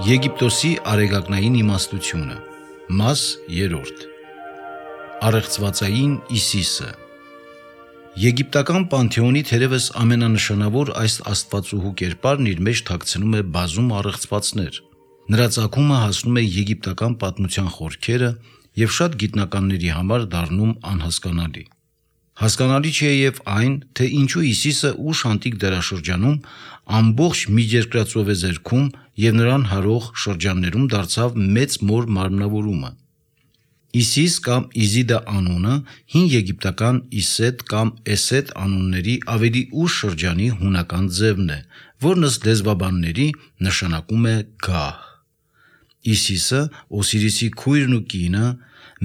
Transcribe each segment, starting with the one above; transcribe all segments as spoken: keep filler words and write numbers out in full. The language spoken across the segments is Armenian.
Եգիպտոսի արեգակնային իմաստությունը, մաս երրորդ, առեղծվածային Իսիսը։ Եգիպտական պանթեոնի թերևս ամենանշանավոր այս աստվածուհու կերպարն իր մեջ թաքցնում է բազում առեղծվածներ։ Նրա ծագումը հասնում է եգիպտական պատմության խորքերը և շատ գիտնականների համար դառնում անհասկանալի։ Հասկանալի չէ և այն, թե ինչու Իսիսը ուշ անտիկ դարաշրջանում ամբողջ Միջերկրածովեզերքում և նրան հարող շրջաններում դարձավ մեծ մոր մարմնավորումը։ Իսիս կամ Իզիդա անունը հին եգիպտական Իսետ կամ Էսետ անունների ավելի ուշ շրջանի հունական ձևն է, որն ըստ լեզվաբանների նշանակում է գահ։ Իսիսը, Օսիրիսի քույրն ու կինը,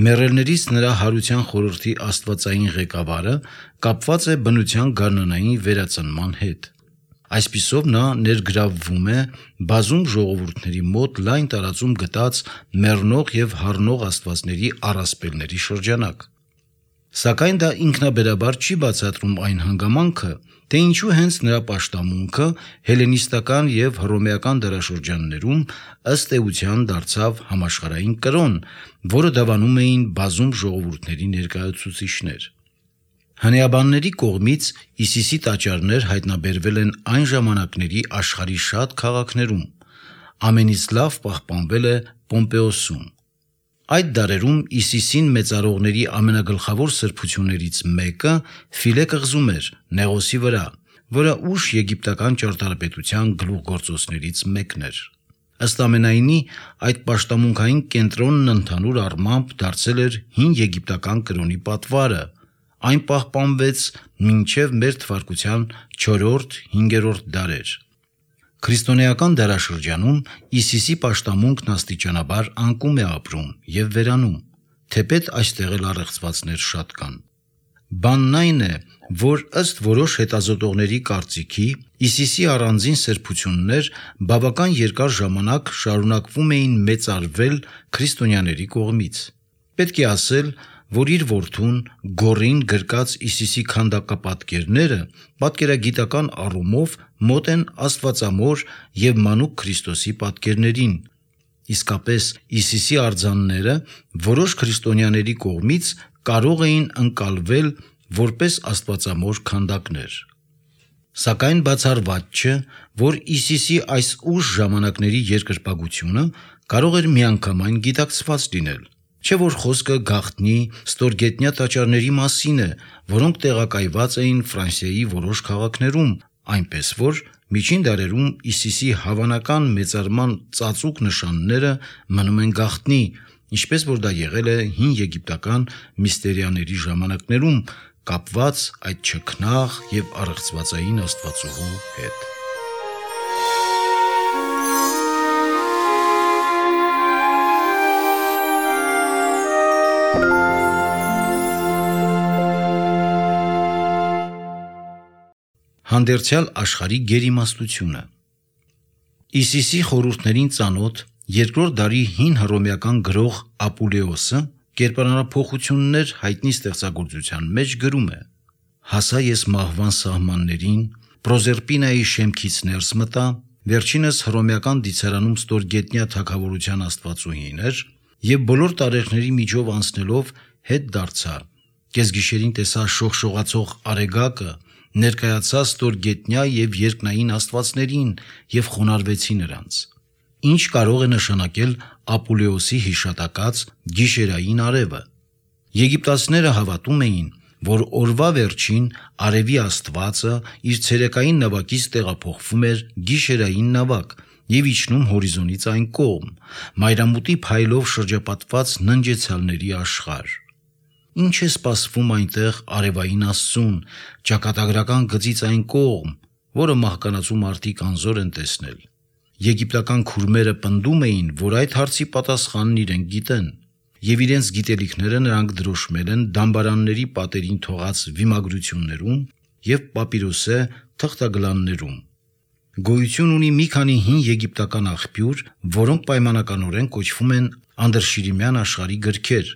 մեռելներից նրա հարության խորհրդի աստվածային ղեկավարը, կապված է բնության գարնանային վերածնման հետ։ Այսպիսով նա ներգրավվում է բազում ժողովուրդների մոտ լայն տարածում գտած մեռնող և հառնող աստվածների առասպելների շրջանակ։ Սակայն դա ինքնաբերաբար չի բացատրում այն հանգամանքը, թե ինչու հենց նրա պաշտամունքը հելենիստական և հռոմեական դարաշրջաններում ըստ էության դարձավ համաշխարհային կրոն, որը դավանում էին բազում ժողովուրդների ներկայացուցիչներ։ Հնեաբանների կողմից Իսիսի տաճարներ հայտնաբերվել են այն ժամանակների աշխարհի շատ քաղաքներում, ամենից լավ պահպանվել է Պոմպեոսում։ Այդ դարերում Իսիսին մեծարողների ամենագլխավոր սրբություններից մեկը Ֆիլե կղզում էր, Նեղոսի վրա, որը ուշ եգիպտական ճարտարապետության գլուխգործոցներից մեկն էր։ Ըստ ամենայնի, այդ պաշտամունքային կենտրոնն ընդհանուր առմամբ դարձել էր հին եգիպտական կրոնի պատվարը, այն պահպանվեց մինչև մեր թվարկության չորրորդ-հինգերորդ դարեր։ Քրիստոնեական դարաշրջանում Իսիսի պաշտամունքն աստիճանաբար անկում է ապրում և վերանում, թեպետ այստեղ էլ առեղծվածներ շատ կան։ Բանն այն է, որ ըստ որոշ հետազոտողների կարծիքի Իսիսի առանձին սրբություններ բավական երկար ժամանակ շարունակվում էին մեծարվել քրիստոնյաների կողմից։ Պետք է ասել, որ իր որդուն Գոռին գրկած Իսիսի քանդակապատկերները պատկերագիտական առումով մոտ են աստվածամոր և մանուկ Քրիստոսի պատկերներին։ Իսկապես Իսիսի արձանները որոշ քրիստոնյաների կողմից կարող էին ընկալվել որպես աստվածամոր քանդակներ։ Սակայն բացառված չէ, որ Իսիսի այս ուշ ժամանակների երկրպագությունը կարող էր միանգամայն գիտակցված լինել։ Չէ՞ որ խոսքը գաղտնի ստորգետնյա տաճարների մասին է, որոնք տեղակայված էին Ֆրանսիայի որոշ քաղաքներում, այնպես որ միջին դարերում Իսիսի հավանական մեծարման ծածուկ նշանները մնում են գաղտնի, ինչպես որ դա եղել է հին եգիպտական միստերիաների ժամանակներում, կապված այդ չքնաղ և առեղծվածային աստվածուհու հետ։ Հանդերձյալ աշխարհի գերիմաստությունը։ Իսիսի խորհուրդներին ծանոթ երկրորդ դարի հին հռոմեական գրող Ապուլեոսը կերպարանափոխություններ հայտնի ստեղծագործության մեջ գրում է. «Հասա ես մահվան սահմաններին, Պրոզերպինայի շեմքից ներս մտա, վերջինս հռոմեական դիցարանում ստորգետնյա թագավորության աստվածուհին էր, և բոլոր տարեխների միջով անցնելով հետ դարձա, կեսգիշերին տեսա շողշողացող արեգակը, ներկայացա ստորգետնյա և երկնային աստվածներին և խոնարհվեցի նրանց»։ Ինչ կարող է նշանակել Ապուլեոսի հիշատակած գիշերային արևը։ Եգիպտացիները հավատում էին, որ օրվա վերջին արևի աստվածը իր ցերեկային նավակից տեղափոխվում էր գիշերային նավակ և իջնում հորիզոնից այն կողմ, մայրամուտի փայլով շրջապատված ննջեցալների աշխարհ։ Ինչ է սպասվում այնտեղ արևային աստծուն, ճակատագրական գծից այն կողմ, որը մահկանացու մարդիկ անզոր են տեսնել։ Եգիպտական քուրմերը պնդում էին, որ այդ հարցի պատասխանն իրենք գիտեն, և իրենց գիտելիքները նրանք դրոշմել են դամբարանների պատերին թողած վիմագրություններում և պապիրոսե թղթագլաններում։ Գոյություն ունի մի քանի հին եգիպտական աղբյուր, որոնք պայմանականորեն կոչվում են անդրշիրիմյան աշխարհի գրքեր։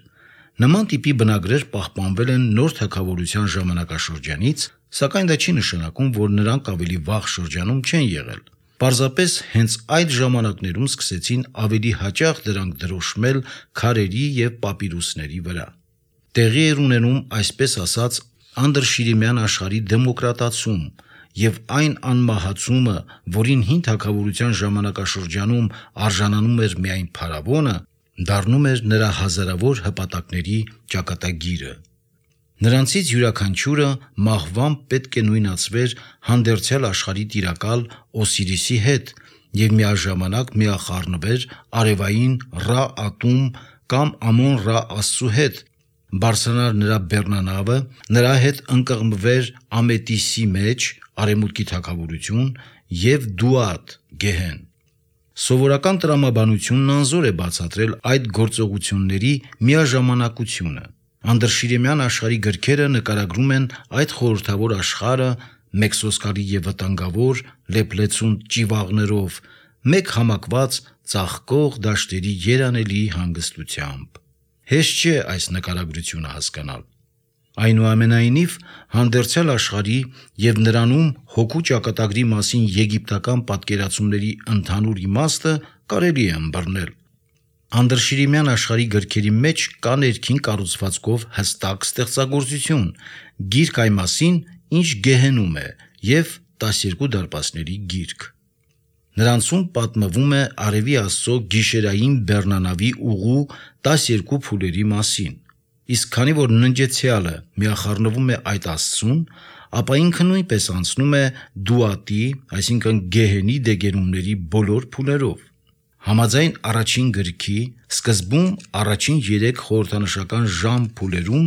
Նման տիպի բնագրեր պահպանվել են նոր թագավորության ժամանակաշրջանից, սակայն դա չի նշանակում, որ նրանք ավելի վաղ շրջանում չեն եղել։ Պարզապես հենց այդ ժամանակներում սկսեցին ավելի հաճախ դրանք դրոշմել քարերի և պապիրուսների վրա։ Տեղի էր ունենում այսպես ասած անդրշիրիմյան աշխարհի դեմոկրատացում, և այն անմահացումը, որին հին թագավորության ժամանակաշրջանում արժանանում էր միայն փարավոնը, դառնում էր նրա հազարավոր հպատակների ճակատագիրը։ Նրանցից յուրաքանչյուրը մահվամբ պետք է նույնացվեր հանդերձյալ աշխարհի տիրակալ Օսիրիսի հետ և միաժամանակ միախառնվեր արևային Ռա Ատում կամ Ամոն Ռա աստծու հետ, բարձրանար նրա բեռնանավը, նրա հետ ընկղմվեր Ամետիսի մեջ (արևմուտքի թագավորություն) և Դուատ (գեհեն)։ Սովորական տրամաբանությունն անզոր է բացատրել այդ գործողությունների միաժամանակությունը։ Անդրշիրիմյան աշխարհի գրքերը նկարագրում են այդ խորհրդավոր աշխարհը մեկսոսկալի և վտանգավոր, լեփլեցուն ճիվաղներով, մեկ համակված ծաղկող դաշտերի երանելի հանգստությամբ։ Հեշտ չէ այս նկարագրությունը հասկանալ։ Այնուամենայնիվ, հանդերձյալ աշխարհի և նրանում հոգու ճակատագրի մասին եգիպտական պատկերացումների ընդհանուր իմաստը կարելի է ըմբռնել։ Անդրշիրիմյան աշխարհի գրքերի մեջ կա ներքին կառուցվածքով հստակ ստեղծագործություն, գիրք այն մասին, ինչ գեհենում է, և տասներկու դարպասների գիրք։ Նրանցում պատմվում է արևի աստծո գիշերային բեռնանավի ուղու տասներկու փուլերի մասին, իսկ քանի որ ննջեցյալը միախառնվում է այդ աստծուն, ապա ինքը նույնպես անցնում է Դուատի, այսինքն գեհենի դեգերումների բոլոր փուլերով։ Համաձայն առաջին գրքի, սկզբում առաջին երեք խորհրդանշական ժամ փուլերում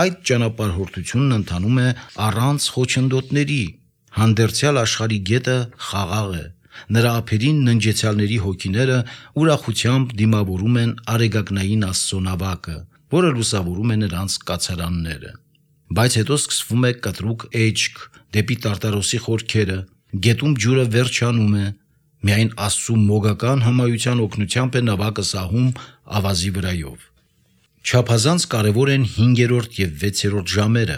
այդ ճանապարհորդությունն ընթանում է առանց խոչընդոտների։ Հանդերձյալ աշխարհի գետը խաղաղ է, նրա ափերին ննջեցյալների հոգիները ուրախությամբ դիմավորում են արեգակնային աստծո նավակը, որը լուսավորում է նրանց կացարանները։ Բայց հետո սկսվում է կտրուկ էջք դեպի Տարտարոսի խորքերը, գետում ջուրը վերջանում է, միայն աստծու մոգական հմայության օգնությամբ է նավակը սահում ավազի վրայով։ Չափազանց կարևոր են հինգերորդ և վեցերորդ ժամերը։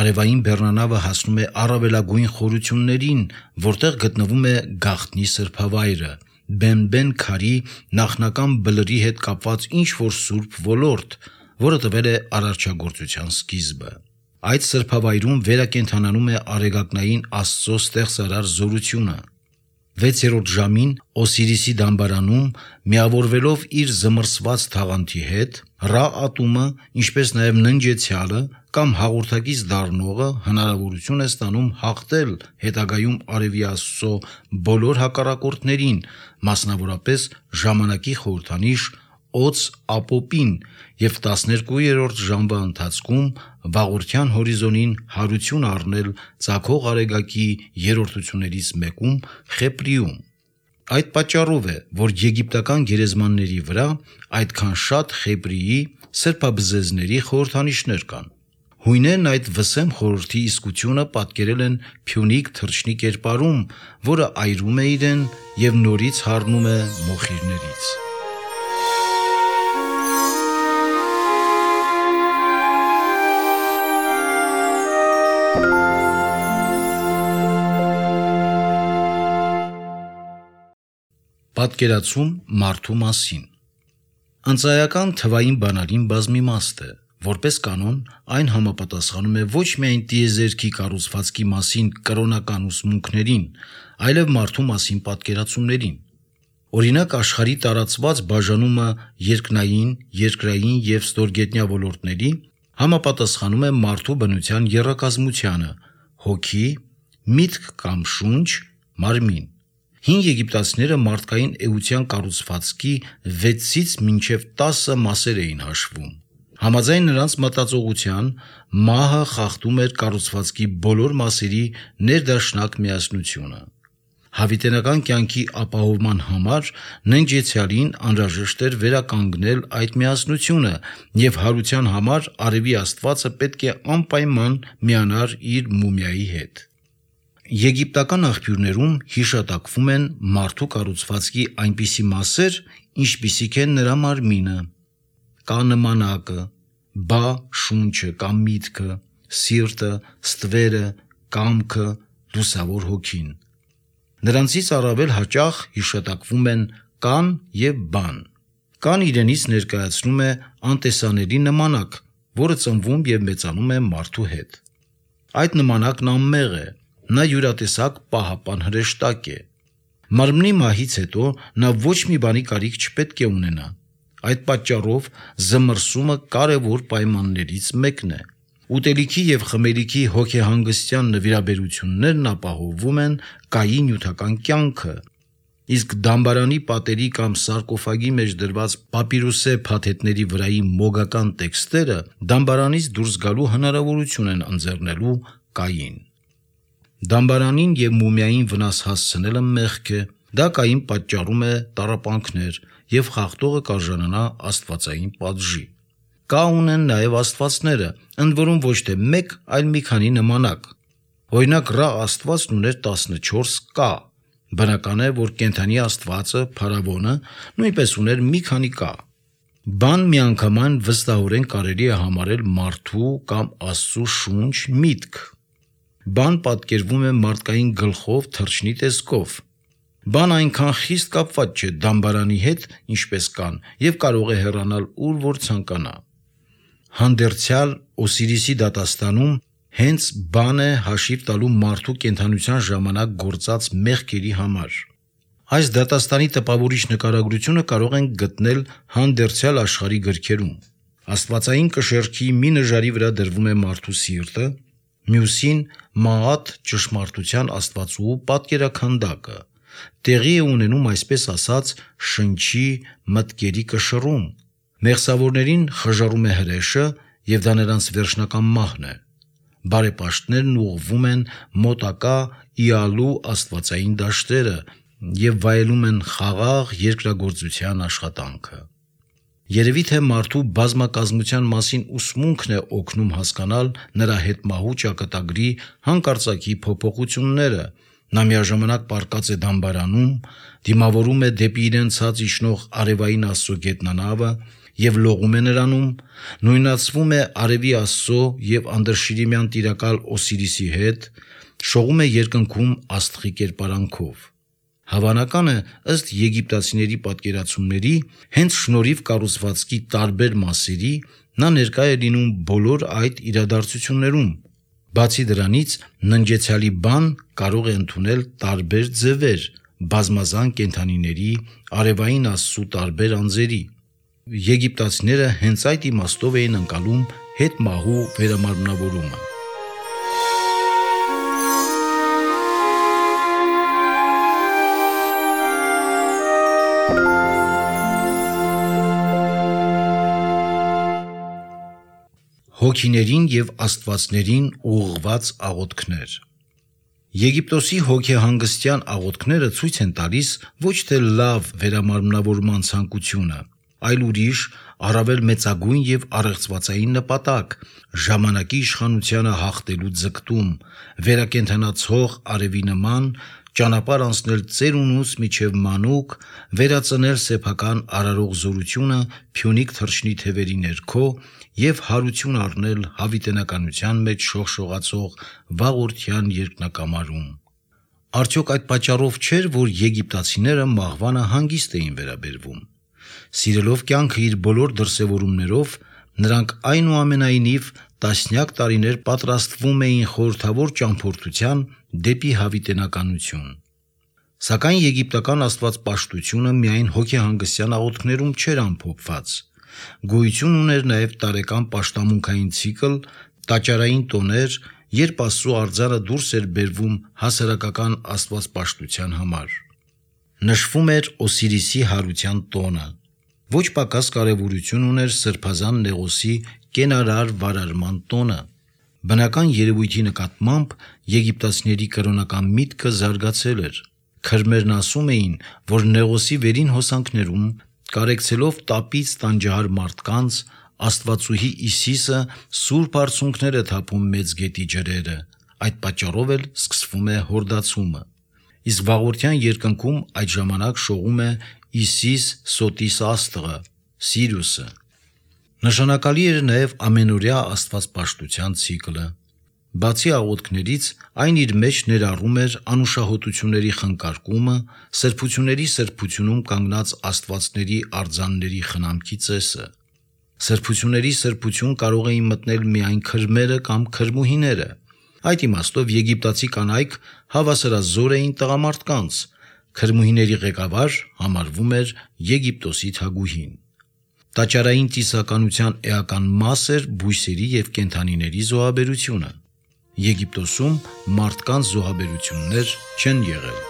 Արևային բեռնանավը հասնում է առավելագույն խորություններին, որտեղ գտնվում է գաղտնի սրբավայրը, բեն-բեն քարի նախնական բլրի հետ կապված ինչ-որ սուրբ ոլորտ, որը տվել է արարչագործության սկիզբը։ Այդ սրբավայրում վերակենդանանում է արեգակնային աստծո ստեղծարար զորությունը։ Վեցերորդ ժամին Օսիրիսի դամբարանում, միավորվելով իր զմռսված թաղանթի հետ, Ռա Ատումը, ինչպես նաև ննջեցյալը կամ հաղորդակից դառնողը հնարավորություն է ստանում հաղթել հետագայում արևի աստծո բոլոր հակառակորդներին, մասնավորապես ժամանակի խորհրդանիշ Օց Ապոպին, և տասներկուերորդ ժամվա ընթացքում վաղորդյան հորիզոնին հարություն առնել ծագող արեգակի երրորդություններից մեկում՝ Խեպրիում։ Այդ պատճառով է, որ եգիպտական գերեզմանների վրա այդքան շատ Խեպրիի սրբաբզեզների խորհրդանիշներ կան։ Հույներն այդ վսեմ խորհրդի իսկությունը պատկերել են Փյունիկ թռչնի կերպարում, որը այրում է իրեն և նորից հառնում է մոխիրներից։ Պատկերացում մարդու մասին։ Ընծայական թվային բանալին բազմիմաստ է։ Որպես կանոն, այն համապատասխանում է ոչ միայն տիեզերքի կառուցվածքի մասին կրոնական ուսմունքներին, այլև մարդու մասին պատկերացումներին։ Օրինակ, աշխարհի տարածված բաժանումը երկնային, երկրային և ստորգետնյա ոլորտների համապատասխանում է մարդու բնության եռակազմությանը՝ հոգի, միտք կամ շունչ, մարմին։ Հին եգիպտացիները մարդկային էության կառուցվածքի վեցից մինչև տասը մասեր էին հաշվում։ Համաձայն նրանց մտածողության, մահը խախտում էր կառուցվածքի բոլոր մասերի ներդաշնակ միասնությունը։ Հավիտենական կյանքի ապահովման համար ննջեցյալին անհրաժեշտ էր վերականգնել այդ միասնությունը, և հարության համար արևի աստվածը պետք է անպայման միանար իր մումիայի հետ։ Եգիպտական աղբյուրներում հիշատակվում են մարդու կառուցվածքի այնպիսի մասեր, ինչպիսիք են նրա մարմինը, կա նմանակը, բա շունչը կամ միտքը, սիրտը, ստվերը, կամքը, լուսավոր հոգին։ Նրանցից առավել հաճախ հիշատակվում են կան և բան։ Կան իրենից ներկայացնում է անտեսանելի նմանակ, որը ծնվում և մեծանում է մարդու հետ։ Այդ նմանակն անմեղ է, նա յուրատեսակ պահապան հրեշտակ է։ Մարմնի մահից հետո նա ոչ մի բանի կարիք չպետք է ունենա։ Այդ պատճառով զմռսումը կարևոր պայմաններից մեկն է։ Ուտելիքի և խմելիքի հոգեհանգստյան նվիրաբերություններն ապահովում են կայի նյութական կյանքը, իսկ դամբարանի պատերի կամ սարկոֆագի մեջ դրված պապիրոսե փաթեթների վրայի մոգական տեքստերը դամբարանից դուրս գալու հնարավորություն են ընձեռնելու կային։ Դամբարանին և մումիային վնաս հասցնելը մեղք է, դա կային պատճառում է տառապանքներ և խախտողը կարժանանա աստվածային պատժի։ Կա ունեն նաև աստվածները, ընդ որում ոչ թե մեկ, այլ մի քանի նմանակ։ Օրինակ Ռա աստվածն ուներ տասնչորս կա։ Բնական է, որ կենդանի աստվածը, Փարավոնը, նույնպես ուներ մի քանի կա։ Բան միանգամայն վստահորեն կարելի է համարել մարդու կամ Աստծու շունչ, միտք։ Բան պատկերվում է մարդկային գլխով, թռչնի տեսքով։ Բան այնքան խիստ կապված չէ դամբարանի հետ, ինչպես կան, և կարող է հեռանալ ուր որ ցանկանա։ Հանդերձյալ Օսիրիսի դատաստանում հենց բան է հաշիվ տալու մարդու կենդանության ժամանակ գործած մեղքերի համար։ Այս դատաստանի տպավորիչ նկարագրությունը կարող ենք գտնել հանդերձյալ աշխարհի գրքերում։ Աստվածային կշեռքի մի նժարի վրա դրվում է մարդու սիրտը, մյուսին Մաատ ճշմարտության աստվածուհու պատկերաքանդակը։ Տեղի է ունենում, այսպես ասած, շնչի մտքերի կշռում։ Մեղսավորներին խժռում է հրեշը, և դա նրանց վերջնական մահն է։ Բարեպաշտներն ուղղվում են մոտակա Իալու աստվածային դաշտերը և վայելում են խաղաղ երկրագործության աշխատանքը։ Երևի թե մարդու բազմակազմության մասին ուսմունքն է օգնում հասկանալ նրա հետմահու ճակատագրի հանկարծակի փոփոխությունները։ Նա միաժամանակ պառկած է դամբարանում, դիմավորում է դեպի իրեն ցած իջնող արևային Աստծո գետնանավը և լողում է նրանում, նույնացվում է արևի Աստծո և անդրշիրիմյան տիրակալ Օսիրիսի հետ, շողում է երկնքում աստղի կերպարանքով։ Հավանական է, ըստ եգիպտացիների պատկերացումների, հենց շնորհիվ կառուցվածքի տարբեր մասերի, նա ներկա է լինում բոլոր այդ իրադարձություններում։ Բացի դրանից, ննջեցյալի բան կարող է ընդունել տարբեր ձևեր, բազմազան կենդանիների, արևային Աստծու տարբեր անձերի։ Եգիպտացիները հենց այդ իմաստով էին ընկալում հետմահու վերամարմնավորումը։ Հոգիներին և աստվածներին ուղղված աղոթքներ։ Եգիպտոսի հոգեհանգստյան աղոթքները ցույց են տալիս ոչ թե լավ վերամարմնավորման ցանկությունը, այլ ուրիշ, առավել մեծագույն և առեղծվածային նպատակ՝ ժամանակի իշխանությանը հաղթելու ձգտում, վերակենդանացող արևի նման, ճանապարհ անցնել ծերունուց մինչև մանուկ, վերածնել սեփական արարող զորությունը փյունիկ թռչնի թևերի ներքո և հարություն առնել հավիտենականության մեջ շողշողացող վաղորդյան երկնակամարում։ Արդյոք այդ պատճառով չէր, որ եգիպտացիները մահվանը հանգիստ էին վերաբերվում։ Սիրելով կյանքը իր բոլոր դրսևորումներով, նրանք այնուամենայնիվ տասնյակ տարիներ պատրաստվում էին խորհրդավոր ճամփորդության դեպի հավիտենականություն։ Սակայն եգիպտական աստվածպաշտությունը միայն հոգեհանգստյան աղոթքներում չէր ամփոփված։ Գոյություն ուներ նաև տարեկան պաշտամունքային ցիկլ, տաճարային տոներ, երբ Աստծո արձանը դուրս էր բերվում հասարակական աստվածպաշտության համար։ Նշվում էր Օսիրիսի հարության տոնը։ Ոչ պակաս կարևորություն ուներ սրբազան Նեղոսի կենարար վարարման տոնը։ Բնական երևույթի նկատմամբ եգիպտացիների կրոնական միտքը զարգացել էր։ Քրմերն ասում էին, որ Նեղոսի վերին հոսանքներում, կարեկցելով տապից տանջահար մարդկանց, Աստվածուհի Իսիսը սուրբ արցունքներ է թափում Մեծ գետի ջրերը, այդ պատճառով էլ սկսվում է հորդացումը։ Իսկ վաղորդյան երկնքում այդ ժամանակ շողում է Իսիս Սոտիս աստղը, Սիրիուսը։ Նշանակալի էր նաև ամենօրյա աստվածպաշտության ցիկլը։ Բացի աղոթքներից, այն իր մեջ ներառում էր անուշահոտությունների խնկարկումը, սրբությունների սրբությունում կանգնած աստվածների արձանների խնամքի ծեսը։ Սրբությունների սրբություն կարող էին մտնել միայն քրմերը կամ քրմուհիները։ Այդ իմաստով եգիպտացի կանայք հավասարազոր էին տղամարդկանց։ Քրմուհիների ղեկավար համարվում էր Եգիպտոսի թագուհին։ Տաճարային ծիսականության էական մաս էր բույսերի և կենդանիների զոհաբերությունը։ Եգիպտոսում մարդկանց զոհաբերություններ չեն եղել։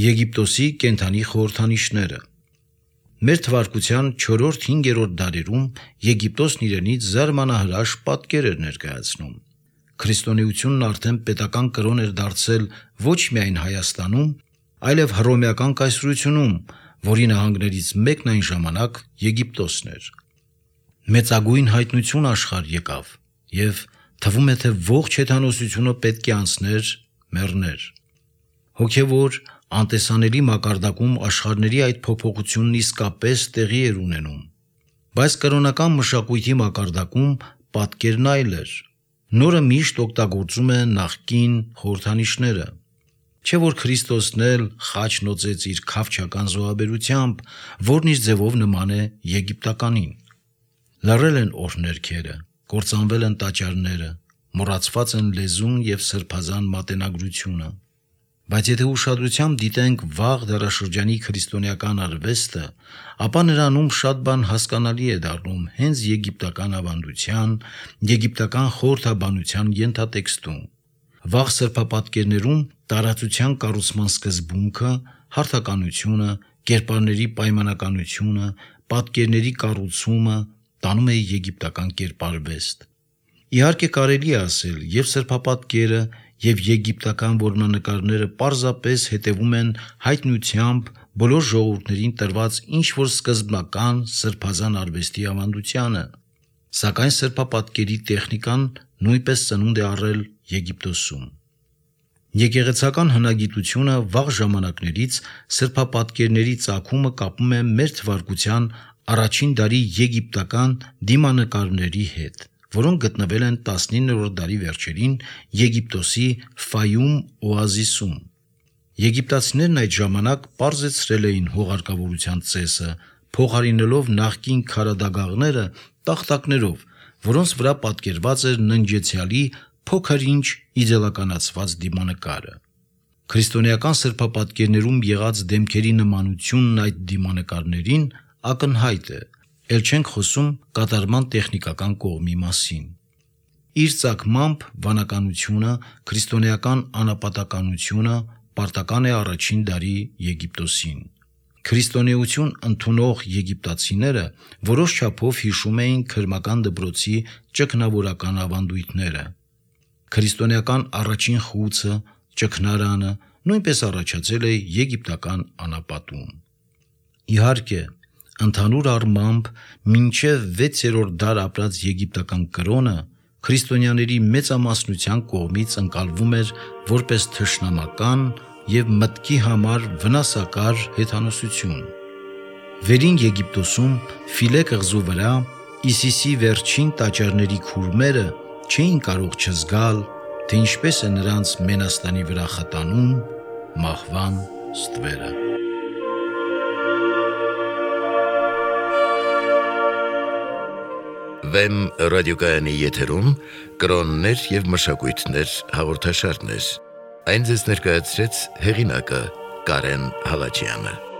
Եգիպտոսի կենդանի խորհրդանիշները։ Մեր թվարկության չորրորդ-հինգերորդ դարերում Եգիպտոսն իրենից զարմանահրաշ պատկեր էր ներկայացնում։ Քրիստոնեությունն արդեն պետական կրոն էր դարձել ոչ միայն Հայաստանում, այլև հռոմեական կայսրությունում, որի նահանգներից մեկն այն ժամանակ Եգիպտոսն էր։ Մեծագույն հայտնություն աշխարհ եկավ, և թվում է, թե ողջ հեթանոսությունը պետք է անցներ, մեռներ։ Հոգևոր, անտեսանելի մակարդակում աշխարհների այդ փոփոխությունն իսկապես տեղի էր ունենում։ Բայց կրոնական մշակույթի մակարդակում պատկերն այլ էր։ Նորը միշտ օգտագործում է նախկին խորհրդանիշները։ Չէ՞ որ Քրիստոսն էլ խաչ նոծեց իր քավչական զոհաբերությամբ, որն իր ձևով նման է եգիպտականին։ Լռել են օրհներգերը, կործանվել են տաճարները, մոռացված են լեզուն և սրբազան մատենագրությունը։ Բայց եթե ուշադրությամբ դիտենք վաղ դարաշրջանի քրիստոնեական արվեստը, ապա նրանում շատ բան հասկանալի է դառնում հենց եգիպտական ավանդության, եգիպտական խորհրդաբանության ենթատեքստում։ Վաղ սրբապատկերներում տարածության կառուցման սկզբունքը, հարթականությունը, կերպարների պայմանականությունը, պատկերների կառուցումը տանում է եգիպտական կերպարվեստ։ Իհարկե կարելի է ասել, և սրբապատկերը, և եգիպտական որմնանկարները պարզապես հետևում են հայտնությամբ բոլոր ժողովուրդներին տրված ինչ-որ սկզբնական սրբազան արվեստի ավանդությանը։ Սակայն սրբապատկերի տեխնիկան նույնպես ծնունդ է առել Եգիպտոսում։ Եկեղեցական հնագիտությունը վաղ ժամանակներից սրբապատկերների ծագումը կապում է մեր թվարկության առաջին դարի եգիպտական դիմանկարների հետ, որոնք գտնվել են տասնիններորդ դարի վերջերին Եգիպտոսի Ֆայում օազիսում։ Եգիպտացիներն այդ ժամանակ պարզեցրել էին հողարկավորության ծեսը, փոխարինելով նախկին քարադագաղները տախտակներով, որոնց վրա պատկերված էր ննջեցյալի փոքր-ինչ իդեալականացված դիմանկարը։ Քրիստոնեական սրբապատկերներում եղած դեմքերի նմանությունն այդ դիմանկարներին ակնհայտ է, էլ չենք խոսում կատարման տեխնիկական կողմի մասին։ Իր ծագմամբ վանականությունը, քրիստոնեական անապատականությունը պարտական է առաջին դարի Եգիպտոսին։ Քրիստոնեություն ընդունող եգիպտացիները որոշ չափով հիշում էին քրմական դպրոցի ճգնավորական ավանդույթները։ Քրիստոնեական առաջին խուցը, ճգնարանը նույնպես առաջացել է եգիպտական անապատում։ Իհարկե, ընդհանուր առմամբ մինչև վեցերորդ դար ապրած եգիպտական կրոնը քրիստոնյաների մեծամասնության կողմից ընկալվում էր որպես թշնամական և մտքի համար վնասակար հեթանոսություն։ Վերին Եգիպտոսում Ֆիլե կղզու վրա Իսիսի վերջին տաճարների քուրմերը չէին կարող չզգալ, թե ինչպես է նրանց մենաստանի վրա խտանում մահվան ստվերը։ Վեմ ռադիոկայանի եթերում կրոններ և մշակույթներ հաղորդաշարներ։ Այն ձեզ ներկայացրեց հեղինակը Կարեն Հալաջյանը։